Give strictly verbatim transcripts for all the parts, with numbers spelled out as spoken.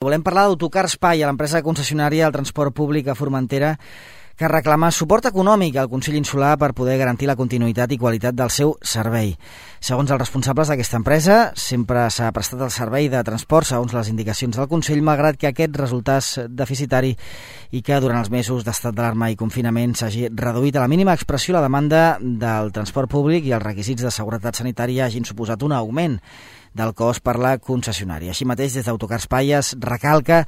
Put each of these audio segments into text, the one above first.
Volem parlar d'Autocar Espai, a l'empresa concessionària del transport públic a Formentera, que reclama suport econòmic al Consell Insular per poder garantir la continuïtat i qualitat del seu servei. Segons els responsables d'aquesta empresa, sempre s'ha prestat el servei de transport segons les indicacions del Consell, malgrat que aquest resultés deficitari i que durant els mesos d'estat d'alarma i confinament s'hagi reduït a la mínima expressió la demanda del transport públic i els requisits de seguretat sanitària hagin suposat un augment del cost per la concessionària. Així mateix, des d'Autocar Espai es recalca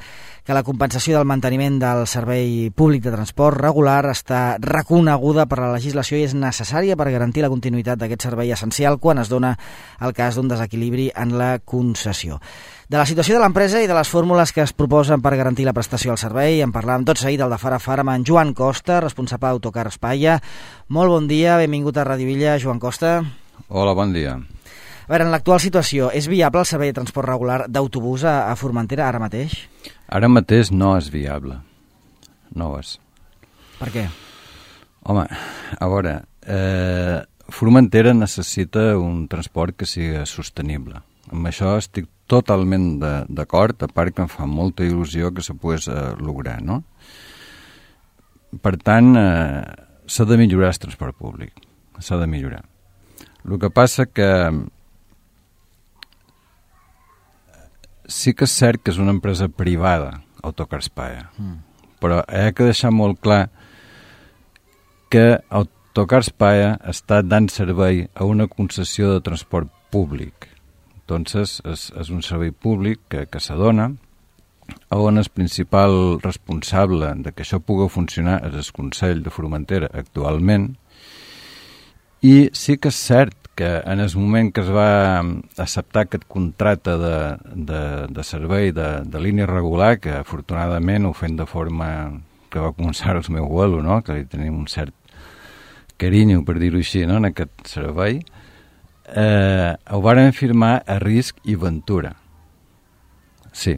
que la compensació del manteniment del servei públic de transport regular està reconeguda per la legislació i és necessària per garantir la continuïtat d'aquest servei essencial quan es dona el cas d'un desequilibri en la concessió. De la situació de l'empresa i de les fórmules que es proposen per garantir la prestació del servei en parlàvem tot seguit del de fara a fara amb en Joan Costa, responsable d'Autocar Espai. Molt bon dia, benvingut a Ràdio Villa, Joan Costa. Hola, bon dia. A veure, en l'actual situació, és viable el servei de transport regular d'autobús a, a Formentera ara mateix? Ara mateix no és viable. No ho és. Per què? Home, a veure, eh, Formentera necessita un transport que sigui sostenible. Amb això estic totalment d'acord, a part que em fa molta il·lusió que se pogués eh, lograr, no? Per tant, eh, s'ha de millorar el transport públic. S'ha de millorar. El que passa que sí que és cert que és una empresa privada, Autocar Espai, mm. però he de deixar molt clar que Autocar Espai està dant servei a una concessió de transport públic. Entonces, és, és un servei públic que, que s'adona, on el principal responsable de que això pugui funcionar és el Consell de Formentera actualment, i sí que és cert que en el moment que es va acceptar aquest contracte de, de, de servei de, de línia regular, que afortunadament ho fem de forma que va començar el meu abuelo, no? Que li tenim un cert carinyo, per dir-ho així, no? En aquest servei, eh, ho varen firmar a risc i ventura. Sí.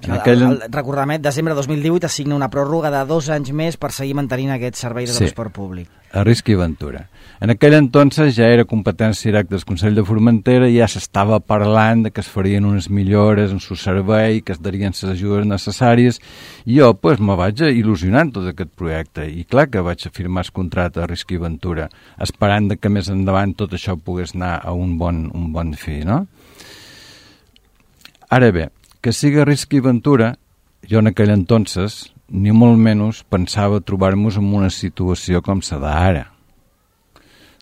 En aquell... el, el, recordem, desembre de dos mil divuit es signa una pròrroga de dos anys més per seguir mantenint aquest servei de sí, transport públic. A risc i ventura. En aquell entonces ja era competència directa del Consell de Formentera i ja s'estava parlant de que es farien unes millores en el servei, que es darien les ajudes necessàries, i jo pues, me vaig il·lusionar en tot aquest projecte. I clar que vaig firmar el contracte a risc i ventura, esperant que més endavant tot això pogués anar a un bon, un bon fi, no? Ara bé, que sigui risc i ventura, jo en aquell entonces ni molt menys pensava trobar-nos en una situació com la d'ara.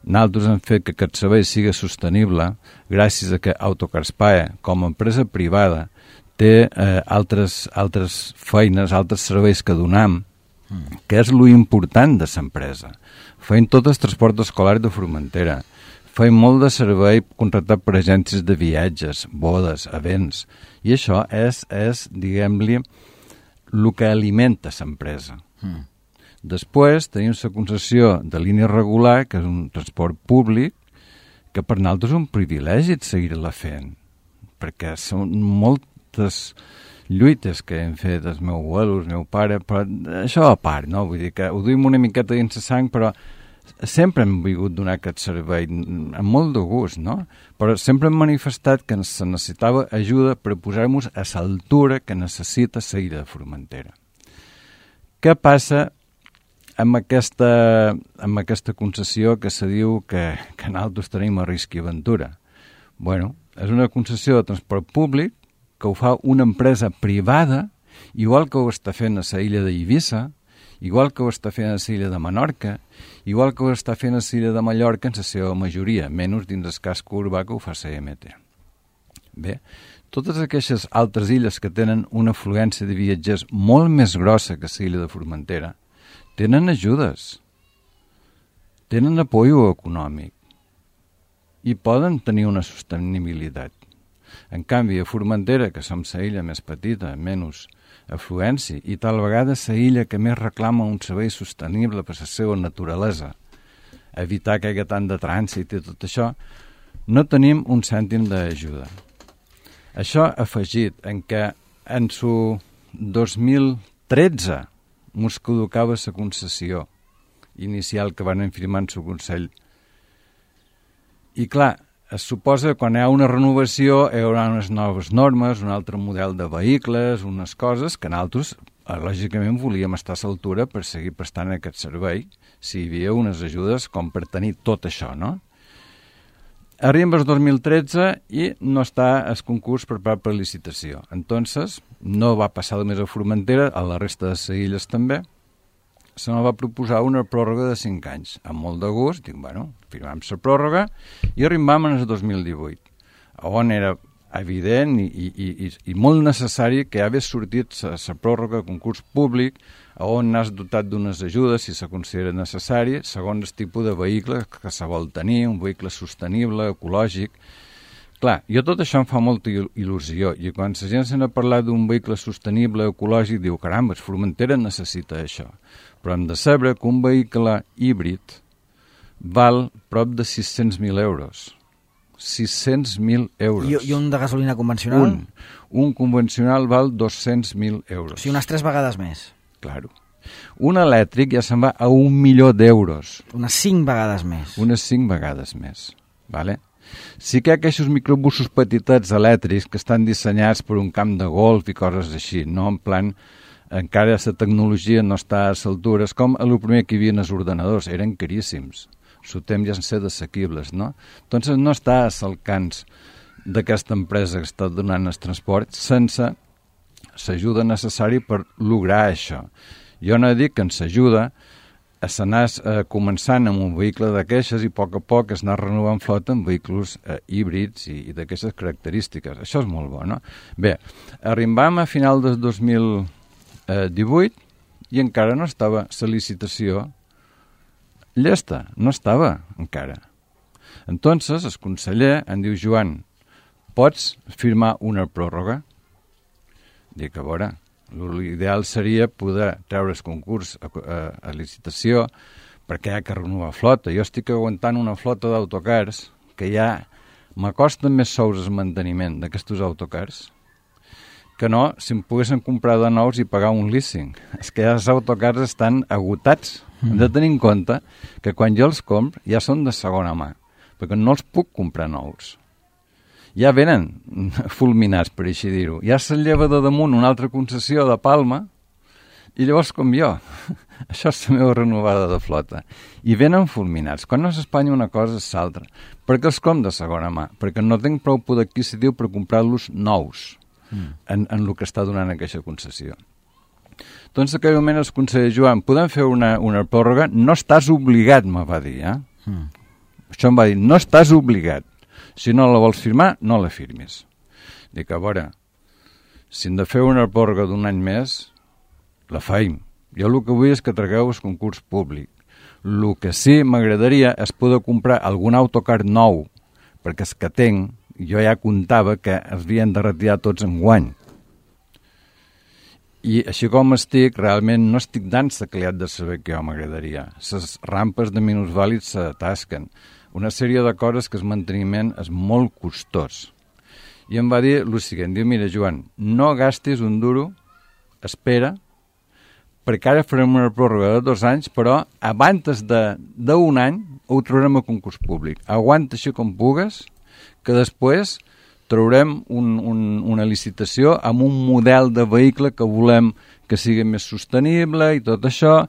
Nosaltres hem fet que aquest servei sigui sostenible gràcies a que Autocar Espai, com a empresa privada, té eh, altres, altres feines, altres serveis que donam, mm. que és lo important de l'empresa. Feim tot el transport escolar de Formentera, feim molt de servei contractat per agències de viatges, bodes, events, i això és, és diguem-li, el que alimenta l'empresa. Mm. Després tenim la concessió de línia regular, que és un transport públic, que per nosaltres és un privilegi seguir-la fent, perquè són moltes lluites que hem fet el meu abuelo, el meu pare, però això a part, no? Vull dir que ho duim una miqueta dins la sang, però sempre hem volgut donar aquest servei amb molt de gust, no? Però sempre hem manifestat que se necessitava ajuda per posar-nos a l'altura que necessita la illa de Formentera. Què passa amb aquesta, amb aquesta concessió que se diu que, que nosaltres tenim a risc i aventura? Bueno, és una concessió de transport públic que ho fa una empresa privada, igual que ho està fent a la illa d'Eivissa, igual que ho està fent a l'illa de Menorca, igual que ho està fent a l'illa de Mallorca en la seva majoria, menys dins el casc urbà que ho fa la E M T. Bé, totes aquestes altres illes que tenen una afluència de viatgers molt més grossa que l'illa de Formentera, tenen ajudes, tenen apoyo econòmic i poden tenir una sostenibilitat. En canvi, a Formentera, que som la illa més petita, menys afluència, i tal vegada la illa que més reclama un servei sostenible per la seva naturalesa, evitar que hi hagi tant de trànsit i tot això, no tenim un cèntim d'ajuda. Això afegit en què en su dos mil tretze mos caducava la concessió inicial que van firmar en su Consell. I clar, es suposa que quan hi ha una renovació hi haurà unes noves normes, un altre model de vehicles, unes coses que nosaltres, lògicament, volíem estar a l'altura per seguir prestant aquest servei, si hi havia unes ajudes com per tenir tot això, no? Arriba el dos mil tretze i no està el concurs preparat per licitació. Entonces, no va passar només a Formentera, a la resta de les illes també, se me va proposar una pròrroga de cinc anys. Amb molt de gust, dic, bueno, firmam la pròrroga i arribam en el dos mil divuit, on era evident i, i, i, i molt necessari que hagués sortit la pròrroga de concurs públic on n'has dotat d'unes ajudes, si se considera necessari, segons el tipus de vehicle que se vol tenir, un vehicle sostenible, ecològic. Clar, jo tot això em fa molta il·lusió, i quan la gent se n'ha parlat d'un vehicle sostenible, ecològic, diu, caramba, Formentera necessita això. Però hem de saber que un vehicle híbrid val prop de sis-cents mil euros. sis-cents mil euros. I, I un de gasolina convencional? Un. Un convencional val dos-cents mil euros. O sigui, unes tres vegades més. Claro. Un elèctric ja se'n va a un milió d'euros. Unes cinc vegades més. Unes cinc vegades més. Vale? Sí que hi ha aquests microbusos petitets elèctrics que estan dissenyats per un camp de golf i coses així, no en plan, encara la tecnologia no està a l'altura, és com el primer que hi havia en els ordenadors, eren caríssims, el temps ja han set assequibles, no? Doncs no està a l'alcance d'aquesta empresa que està donant el transport sense l'ajuda necessària per lograr això. Jo no dic que ens ajuda a anar eh, començant amb un vehicle d'aquestes i a poc a poc es anar renovant flota amb vehicles eh, híbrids i, i d'aquestes característiques. Això és molt bo, no? Bé, arribam a final del dos mil divuit i encara no estava la licitació llesta, no estava encara. Entonces, el conseller em diu, Joan, pots firmar una pròrroga? Dic, a veure, l'ideal seria poder treure el concurs a, a, a licitació perquè hi ha que renovar flota. Jo estic aguantant una flota d'autocars que ja m'acosta més sous el manteniment d'aquests autocars que no si em poguessin comprar de nous i pagar un leasing. És que ja els autocars estan agotats. Mm. Hem de tenir en compte que quan jo els compro ja són de segona mà, perquè no els puc comprar nous. Ja venen fulminats, per així dir-ho. Ja se'n lleva de damunt una altra concessió de Palma i llavors com jo. Això és la meva renovada de flota. I venen fulminats. Quan no s'espanya una cosa és l'altra. Per què els com de segona mà? Perquè no tinc prou poder adquisitiu per comprar-los nous. Mm. En, en el que està donant aquesta concessió. Doncs en aquell moment el conseller Joan, podem fer una, una pròrroga? No estàs obligat, me va dir. Eh? Mm. Això em va dir, no estàs obligat. Si no la vols firmar, no la firmis. Dic, a veure, si hem de fer una pròrroga d'un any més, la faim. Jo el que vull és que tragueu el concurs públic. El que sí m'agradaria és poder comprar algun autocar nou, perquè els que tenc jo ja comptava que els havien de retirar tots en guany. I així com estic, realment no estic dant la qualitat de saber que jo m'agradaria. Les rampes de minusvàlids s'atasquen. Una sèrie de coses que el manteniment és molt costós. I em va dir el següent, diu, mira, Joan, no gastis un duro, espera, perquè ara farem una pròrroga de dos anys, però abans d'un any ho traurem a concurs públic. Aguanta així com pugues, que després traurem un, un, una licitació amb un model de vehicle que volem que sigui més sostenible i tot això.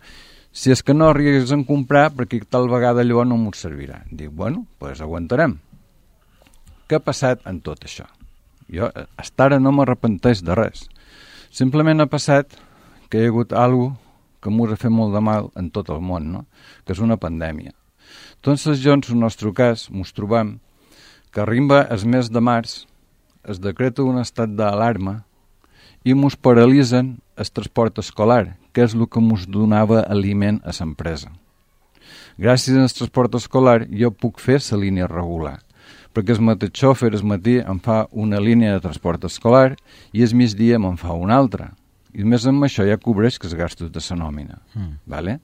Si és que no arribes a comprar, perquè tal vegada allò no m'ho servirà. Dic, bueno, doncs aguantarem. Què ha passat en tot això? Jo, fins ara no m'arrepenteix de res. Simplement ha passat que hi ha hagut alguna cosa que m'ho ha fet molt de mal en tot el món, no? Que és una pandèmia. Entonces, jo, en el nostre cas, mos trobam que arriba el mes de març, es decreta un estat d'alarma i mos paralitzen el transport escolar, que és el que mos donava aliment a l'empresa. Gràcies al transport escolar jo puc fer la línia regular, perquè el mateix xòfer el matí em fa una línia de transport escolar i el migdia me'n fa una altra. I més amb això ja cobreix que els gastos de la nòmina. Mm. Vale?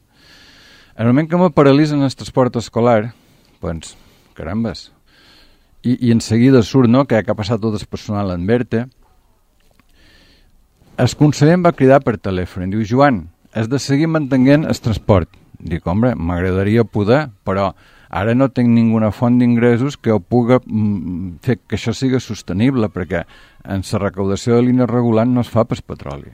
En el moment que me paralitzen el transport escolar, doncs, carambes, I, i en seguida surt, no?, que ha passat tot el personal en Berta. El conseller em va cridar per telèfon i diu, Joan, has de seguir mantenint el transport. Dic, home, m'agradaria poder, però Ara no tinc ninguna font d'ingressos que ho pugui mm, fer que això sigui sostenible, perquè en la recaudació de línia regulant no es fa per petroli.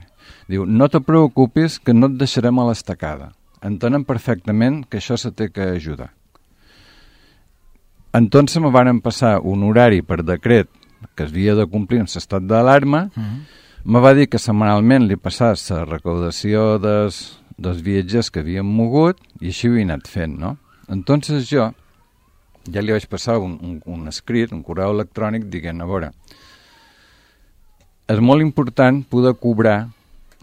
Diu, no te preocupis que no et deixarem a l'estacada. Entenem perfectament que això se té que ajudar. Entonces me van passar un horari per decret que es havia de complir en l'estat d'alarma. Uh-huh. Me va dir que setmanalment li passàs la recaudació des, dels viatgers que havien mogut i així ho he anat fent, no? Entonces jo ja li vaig passar un, un, un escrit, un correu electrònic dient, a veure, és molt important poder cobrar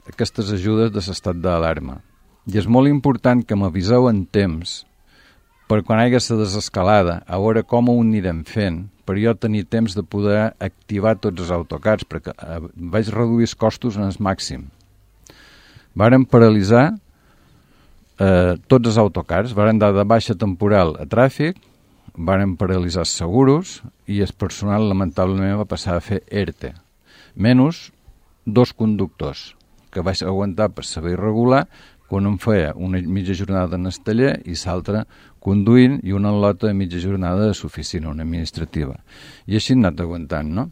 aquestes ajudes de l'estat d'alarma i és molt important que m'aviseu en temps per quan hi hagi la desescalada, a veure com ho anirem fent, per jo tenir temps de poder activar tots els autocars, perquè eh, vaig reduir els costos en el màxim. Varen paralitzar eh, tots els autocars, varen dar de baixa temporal a tràfic, varen paralitzar els seguros i el personal lamentablement va passar a fer E R T E, menys dos conductors que vaig aguantar per saber regular, quan em feia una mitja jornada en el taller i l'altra conduint i una lota de mitja jornada de l'oficina, una administrativa. I així he anat aguantant, no?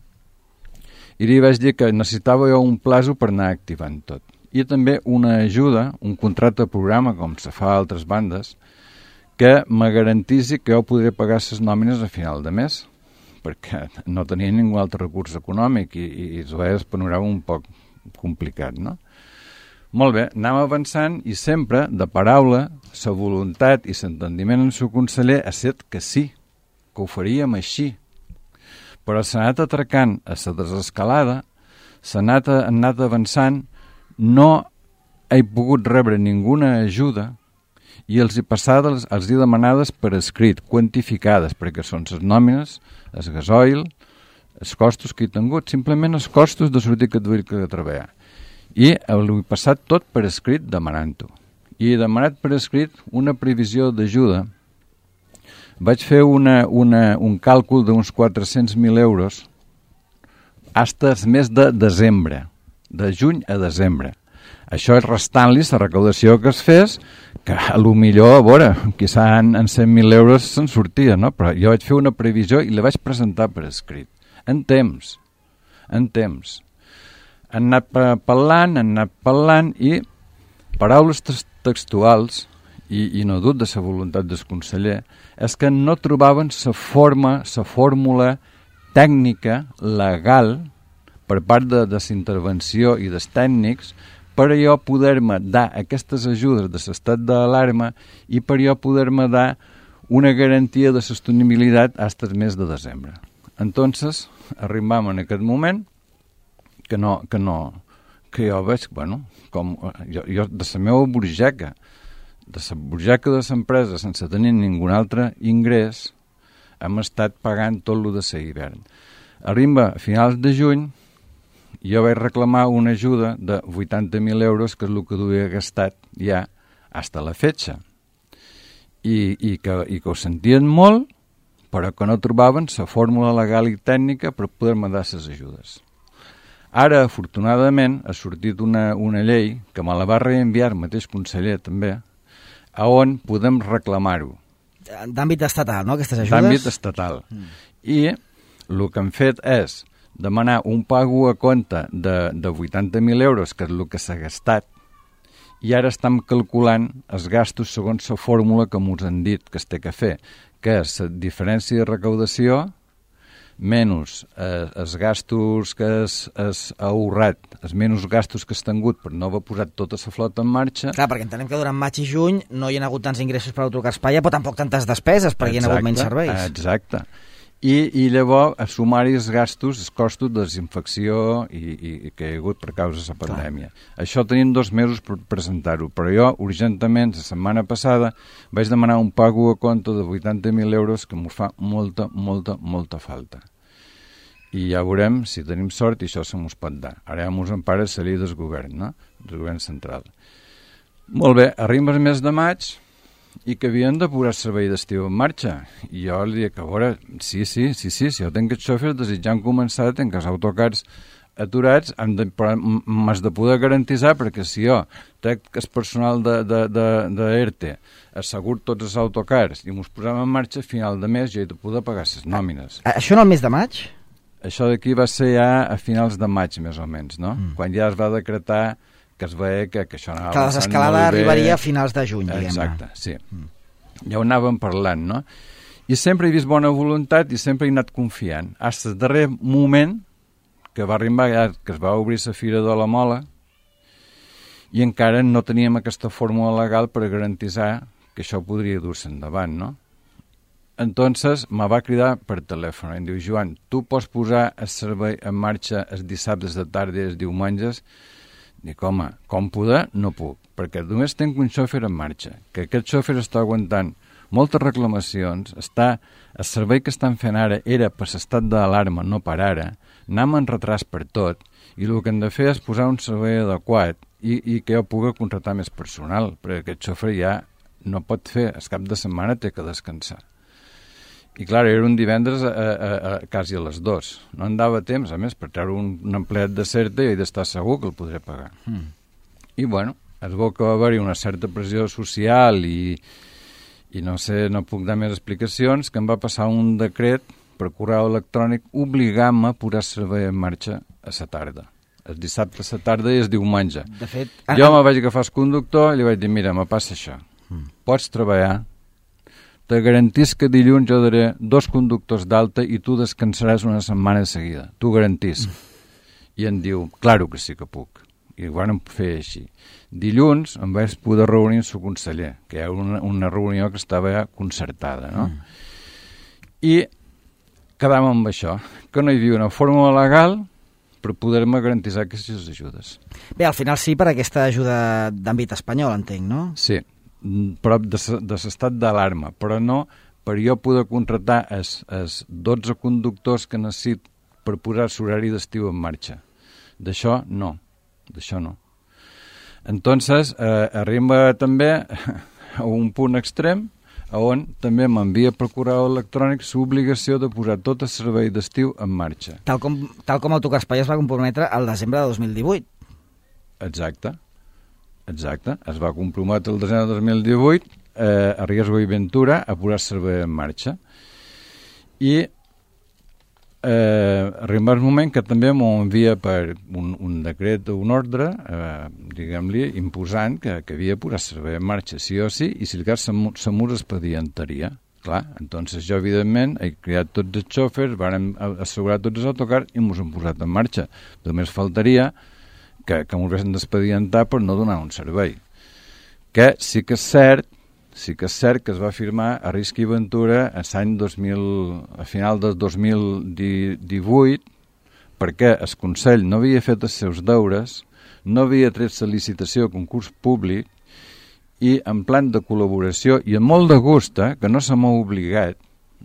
I li vaig dir que necessitava jo un plazo per anar activant tot. I també una ajuda, un contracte de programa, com se fa a altres bandes, que me garantisi que jo podré pagar les nòmines a final de mes, perquè no tenia ningú altre recurs econòmic i, i, i es veia el panorama un poc complicat, no? Molt bé, anem avançant i sempre, de paraula, la voluntat i l'entendiment en el conseller ha set que sí, que ho faríem així. Però s'ha anat atracant a la desescalada, s'ha anat, anat avançant, no he pogut rebre ninguna ajuda i els he passades, els he demanades per escrit, quantificades, perquè són les nòmines, el gasoil, els costos que he tingut, simplement els costos de sortir aquest vehicle de treballar. I ho he passat tot per escrit demanant-ho. I he demanat per escrit una previsió d'ajuda. Vaig fer una, una, un càlcul d'uns quatre-cents mil euros fins al mes de desembre, de juny a desembre. Això és restant-li la recaudació que es fes, que a lo millor, a veure, quizà en, en cent mil euros se'n sortia, no? Però jo vaig fer una previsió i la vaig presentar per escrit. En temps, en temps. Han anat parlant, han anat parlant i paraules textuals, i, i no dut de la voluntat del conseller, és que no trobaven la forma, la fórmula tècnica, legal, per part de, de la intervenció i dels tècnics, per a jo poder-me dar aquestes ajudes de l'estat d'alarma i per a jo poder-me dar una garantia de sostenibilitat fins al mes de desembre. Entonces, arribam en aquest moment que no, que no, que jo veig, bueno, com jo, jo de la meva burgeca, de la burgeca de l'empresa, sense tenir ningú altre ingrés, hem estat pagant tot el de l'hivern. Arriba a finals de juny, jo vaig reclamar una ajuda de vuitanta mil euros, que és el que duia gastat ja fins a la fetge. I, i, que, i que ho sentien molt, però que no trobaven la fórmula legal i tècnica per poder-me dar les ajudes. Ara, afortunadament, ha sortit una, una llei, que me la va reenviar el mateix conseller també, a on podem reclamar-ho. D'àmbit estatal, no?, aquestes ajudes? D'àmbit estatal. Mm. I el que han fet és demanar un pago a compte de, de vuitanta mil euros, que és el que s'ha gastat, i ara estem calculant els gastos segons la fórmula que ens han dit que es té que fer, que és la diferència de recaudació menys eh, els gastos que has, has ahorrat, els menys gastos que has tingut per no haver posat tota la flota en marxa. Clar, perquè entenem que durant maig i juny no hi ha hagut tants ingressos per autocar Espanya, però tampoc tantes despeses, perquè exacte, hi ha hagut menys serveis. Exacte. I, i llavors a sumar-hi els gastos, els costos de desinfecció i, i, i que hi ha hagut per causa de la pandèmia. Clar. Això tenim dos mesos per presentar-ho, però jo, urgentament, la setmana passada, vaig demanar un pago a compte de vuitanta mil euros que m'ho fa molta, molta, molta falta. I ja veurem si tenim sort i això se mos pot dar. Ara ja mos empara la llei del govern, no? Del govern central. Molt bé, arriba el mes de maig i que havien de posar servei d'estiu en marxa. I jo li dic, a veure, sí, sí, sí, sí, si jo tinc els xòfers desitjant començar, tinc els autocars aturats, hem de, però m'has de poder garantitzar, perquè si jo trec el personal de, de, de, de E R T E, assegur tots els autocars i mos posem en marxa, a final de mes jo he de poder pagar les nòmines. A, això en el mes de maig? Això d'aquí va ser ja a finals de maig, més o menys, no? Mm. Quan ja es va decretar que es veia que, que això anava que la desescalada arribaria a finals de juny, diguem-ne. Exacte, sí. Mm. Ja ho anàvem parlant, no? I sempre he vist bona voluntat i sempre he anat confiant. Fins al darrer moment que va arribar, que es va obrir la Fira de la Mola i encara no teníem aquesta fórmula legal per garantitzar que això podria dur-se endavant, no? Entonces me va cridar per telèfon i em diu, Joan, tu pots posar el servei en marxa els dissabtes de tarda i els diumenges? Dic, home, com poder? No puc, perquè només tinc un xòfer en marxa, que aquest xòfer està aguantant moltes reclamacions, està, el servei que estan fent ara era per l'estat d'alarma, no per ara, anem en retras per tot, i el que hem de fer és posar un servei adequat i, i que jo pugui contractar més personal, perquè aquest xòfer ja no pot fer, el cap de setmana té que descansar. I clar, era un divendres a, a, a, quasi a les dues. No em dava temps, a més, per treure un, un empleat de certa i he d'estar segur que el podré pagar. Mm. I bueno, es veu que va haver-hi una certa pressió social i, i no sé, no puc dar més explicacions, que em va passar un decret per correu electrònic obligant-me a posar servei en marxa a la tarda. El dissabte a la tarda i el diumenge. De fet, jo me vaig agafar el conductor i li vaig dir, mira, me passa això. Mm. Pots treballar, te garantís que dilluns jo daré dos conductors d'alta i tu descansaràs una setmana de seguida. Tu garantís. Mm. I em diu, claro que sí que puc. I ho vam fer així. Dilluns em vaig poder reunir amb el conseller, que era una, una reunió que estava ja concertada, no? Mm. I quedàvem amb això, que no hi havia una fórmula legal per poder-me garantitzar aquestes ajudes. Bé, al final sí per aquesta ajuda d'àmbit espanyol, entenc, no? Sí, però de, de l'estat d'alarma, però no per jo poder contractar els, els dotze conductors que necessit per posar l'horari d'estiu en marxa. D'això no, d'això no. Entonces, eh, arriba també a un punt extrem on també m'envia per correu electrònic l'obligació de posar tot el servei d'estiu en marxa. Tal com, tal com Autocarspai es va comprometre al desembre de dos mil divuit. Exacte. Exacte, es va comprometre el desembre de dos mil divuit eh, a Riesgo i Ventura a posar servei en marxa. I eh, arriba el moment que també m'ho envia per un, un decret o un ordre, eh, diguem-li, imposant que, que havia posat servei en marxa sí o sí, i si el cas se m'ho expedientaria. Clar, entonces jo, evidentment, he criat tots els xòfers, vàrem assegurar tots els autocars i mos hem posat en marxa. Només faltaria que, que m'ho haguessin d'expedientar per no donar un servei. Que sí que és cert, sí que és cert que es va firmar a Risc i Ventura a l'any dos mil, a final del dos mil divuit, perquè el Consell no havia fet els seus deures, no havia tret la licitació a concurs públic i en plan de col·laboració i amb molt de gust, eh, que no se m'ha obligat,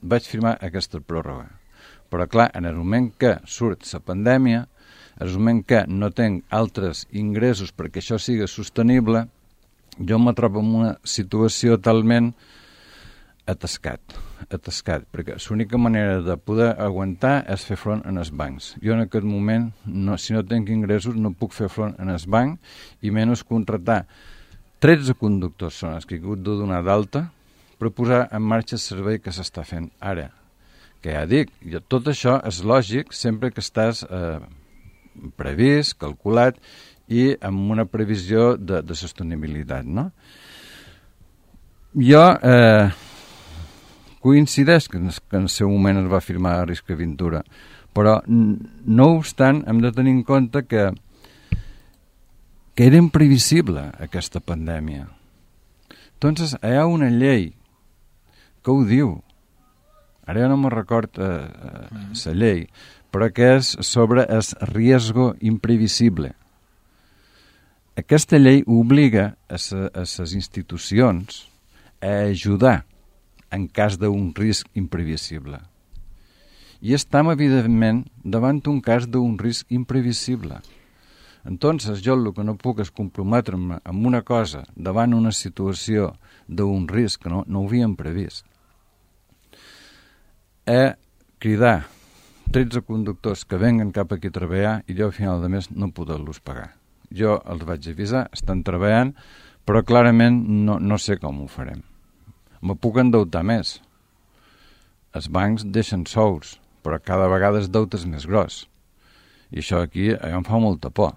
vaig firmar aquesta pròrroga. Però clar, en el moment que surt la pandèmia, en el moment que no tinc altres ingressos perquè això sigui sostenible, jo me trobo en una situació talment atascat, atascat, perquè l'única manera de poder aguantar és fer front en els bancs. Jo en aquest moment, no, si no tinc ingressos, no puc fer front en el banc i menys contractar tretze conductors són els que he hagut de donar d'alta per posar en marxa el servei que s'està fent ara. Que ja dic, tot això és lògic sempre que estàs eh, previst, calculat i amb una previsió de, de sostenibilitat, no? Jo eh, coincideix que en, que en el seu moment es va firmar a Risc i Ventura, però no obstant hem de tenir en compte que que era imprevisible aquesta pandèmia. Entonces hi ha una llei que ho diu, ara ja no me record eh, la llei, però que és sobre el riesgo imprevisible. Aquesta llei obliga a les institucions a ajudar en cas d'un risc imprevisible. I estem, evidentment, davant un cas d'un risc imprevisible. Entonces, jo el que no puc és comprometre'm amb una cosa davant una situació d'un risc que no, no ho havíem previst. A cridar tretze conductors que venguen cap aquí a treballar i jo a final de mes no poder-los pagar. Jo els vaig avisar, estan treballant, però clarament no, no sé com ho farem. Me puc endeutar més. Els bancs deixen sous, però cada vegada el deute és més gros. I això aquí em fa molta por.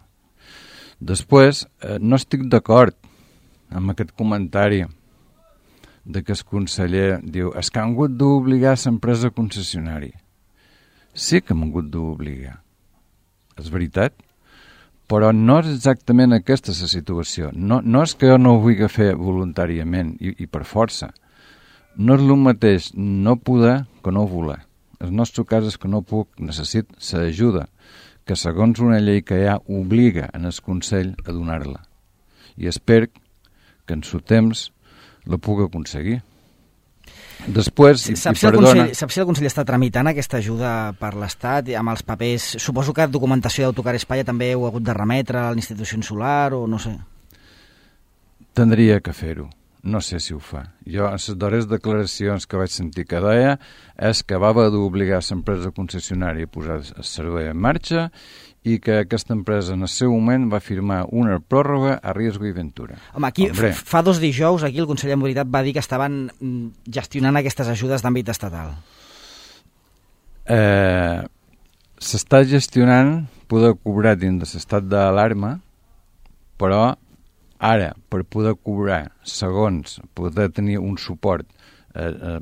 Després, eh, no estic d'acord amb aquest comentari de que el conseller diu és que han hagut d'obligar l'empresa concessionària. Sí que m'han hagut d'obligar. És veritat? Però no és exactament aquesta la situació. No, no és que jo no ho vulgui fer voluntàriament i, i per força. No és el mateix no poder que no voler. El nostre cas és que no puc, necessit l'ajuda, que segons una llei que hi ha obliga en el Consell a donar-la. I espero que en el temps la pugui aconseguir. Després, sí, i, saps, i si perdona... Consell, saps si el Consell està tramitant aquesta ajuda per l'Estat amb els papers? Suposo que documentació d'Autocar Espanya també heu hagut de remetre a l'Institució Insular o no sé. Tindria que fer-ho. No sé si ho fa. Jo, en les darreres declaracions que vaig sentir que deia és que va haver d'obligar l'empresa concessionària a posar el servei en marxa i que aquesta empresa en el seu moment va firmar una pròrroga a riesgo i ventura. Home, aquí Hombre. fa dos dijous aquí el Consell de Mobilitat va dir que estaven gestionant aquestes ajudes d'àmbit estatal. Eh, S'està gestionant poder cobrar dins de l'estat d'alarma, però ara, per poder cobrar segons, poder tenir un suport eh, eh,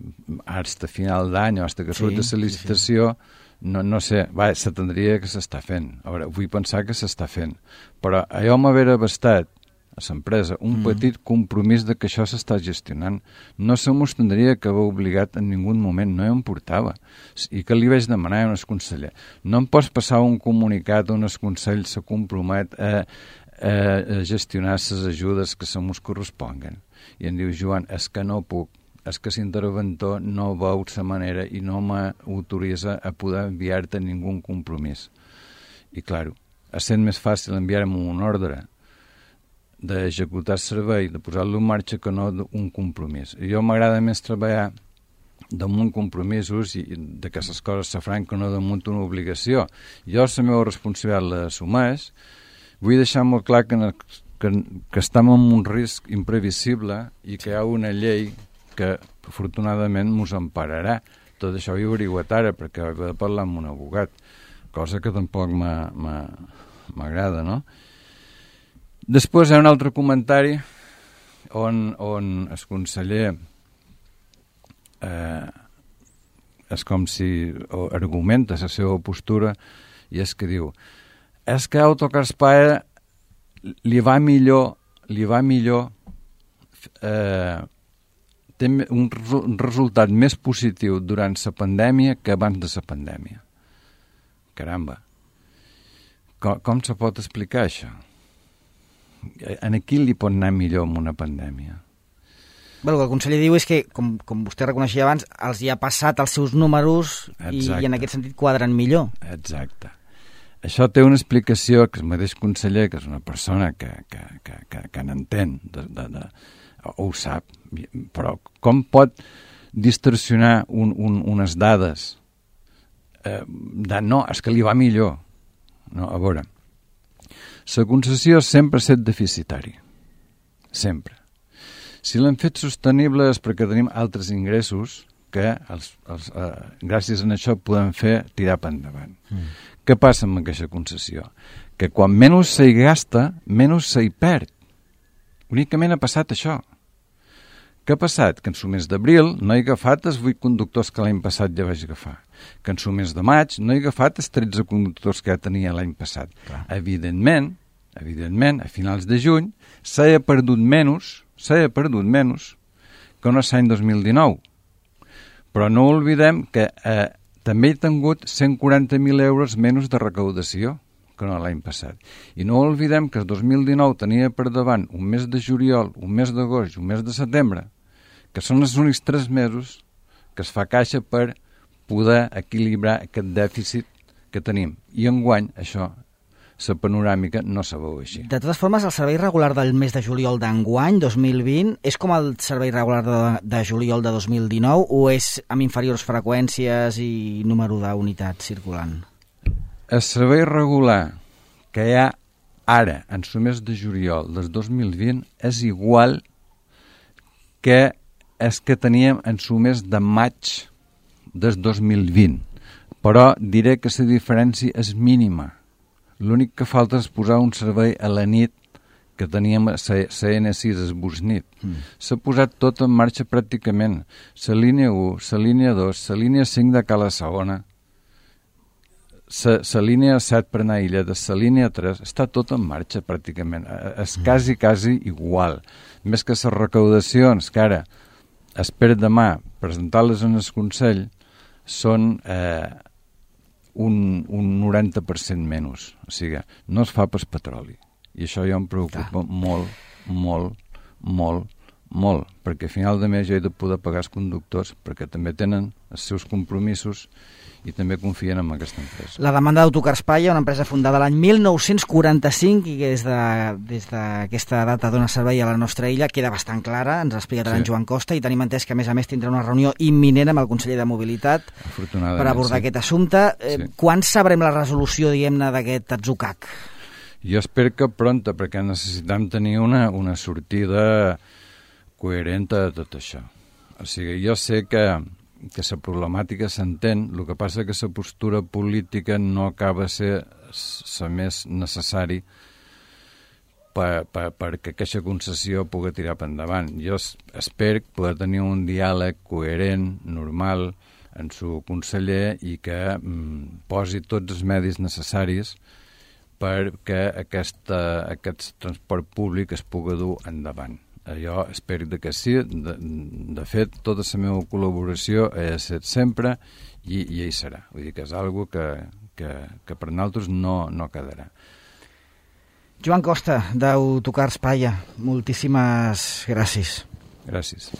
fins a final d'any o fins que surt sí, la licitació, sí, sí. no, no sé, va, s'atendria que s'està fent. A veure, vull pensar que s'està fent. Però allò m'haver bastat a l'empresa un mm. petit compromís de que això s'està gestionant. No se mos tindria que haver obligat en ningú moment, no em portava. I que li vaig demanar a un conseller. No em pots passar un comunicat on el Consell se compromet a a gestionar les ajudes que se mos corresponguen. I em diu, Joan, és que no puc, és que l'interventor no veu la manera i no m'autoritza a poder enviar-te ningú compromís. I, clar, és sent més fàcil enviar-me un ordre d'executar el servei, de posar-lo en marxa, que no un compromís. I jo m'agrada més treballar damunt compromisos i de que les coses se faran que no damunt una obligació. Jo la meva responsabilitat l'assumeix. Vull deixar molt clar que, que, que estem en un risc imprevisible i que hi ha una llei que afortunadament ens empararà. Tot això ho he averiguat ara perquè he de parlar amb un abogat, cosa que tampoc m'agrada, no? Després hi ha un altre comentari on, on el conseller eh, és com si argumenta la seva postura i és que diu és que Autocar Espanya li va millor, li va millor eh, té un, un resultat més positiu durant la pandèmia que abans de la pandèmia. Caramba. Com, com se pot explicar això? En qui li pot anar millor amb una pandèmia? Bé, el que el conseller diu és que, com, com vostè reconeixia abans, els hi ha passat els seus números i, i en aquest sentit quadren millor. Exacte. Això té una explicació que el mateix conseller, que és una persona que, que, que, que, que n'entén, de, de, de, ho sap, però com pot distorsionar un, un, unes dades eh, de no, és que li va millor. No, a veure, la concessió sempre ha estat deficitari, sempre. Si l'hem fet sostenible és perquè tenim altres ingressos que els, els, eh, gràcies a això podem fer tirar per endavant. Mm. Què passa amb aquesta concessió? Que quan menys s'hi gasta, menys s'hi perd. Únicament ha passat això. Què ha passat? Que en el mes d'abril no he agafat els vuit conductors que l'any passat ja vaig agafar. Que en el mes de maig no he agafat els tretze conductors que ja tenia l'any passat. Clar. Evidentment, evidentment, a finals de juny s'ha perdut menys, s'ha perdut menys que no l'any dos mil dinou. Però no oblidem que eh, també he tingut cent quaranta mil euros menys de recaudació que no l'any passat. I no oblidem que el dos mil dinou tenia per davant un mes de juliol, un mes d'agost i un mes de setembre, que són els únics tres mesos que es fa caixa per poder equilibrar aquest dèficit que tenim. I enguany això la panoràmica no se veu així. De totes formes, el servei regular del mes de juliol d'enguany, dos mil vint, és com el servei regular de, de juliol de dos mil dinou o és amb inferiors freqüències i número d'unitats circulant? El servei regular que hi ha ara, en el mes de juliol del dos mil vint, és igual que és que teníem en el mes de maig del dos mil vint, però diré que la diferència és mínima. L'únic que falta és posar un servei a la nit que teníem a la ene sis esbursnit. Mm. S'ha posat tot en marxa pràcticament. La línia u, la línia dos, la línia cinc de Cala Segona, la línia set per anar a Illeda, la línia tres, està tot en marxa pràcticament. És quasi, quasi igual. Més que les recaudacions, que ara espero demà presentar-les en el Consell, són eh, un, un noranta per cent menys. O sigui, no es fa per petroli. I això ja em preocupa ah. molt, molt, molt, molt, perquè a final de mes jo he de poder pagar els conductors perquè també tenen els seus compromisos i també confien en aquesta empresa. La demanda d'Autocars Palla, una empresa fundada l'any mil nou-cents quaranta-cinc i que des d'aquesta de, data dona servei a la nostra illa, queda bastant clara, ens ha explicat sí. en Joan Costa, i tenim entès que a més a més tindrà una reunió imminent amb el conseller de Mobilitat per abordar sí. aquest assumpte. Eh, sí. Quan sabrem la resolució, diguem-ne, d'aquest atzucac? Jo espero que pronta, perquè necessitem tenir una, una sortida coherent de tot això. O sigui, jo sé que que la problemàtica s'entén, el que passa que la postura política no acaba de ser la més necessari per, per, perquè aquesta concessió pugui tirar per endavant. Jo espero poder tenir un diàleg coherent, normal, en su conseller i que mm, posi tots els medis necessaris perquè aquesta, aquest transport públic es pugui dur endavant. Jo espero que sí. De, de fet, tota la meva col·laboració ha estat sempre i, i hi serà. Vull dir que és una cosa que, que, que per nosaltres no, no quedarà. Joan Costa, d'Autocars Palla, moltíssimes gràcies. Gràcies.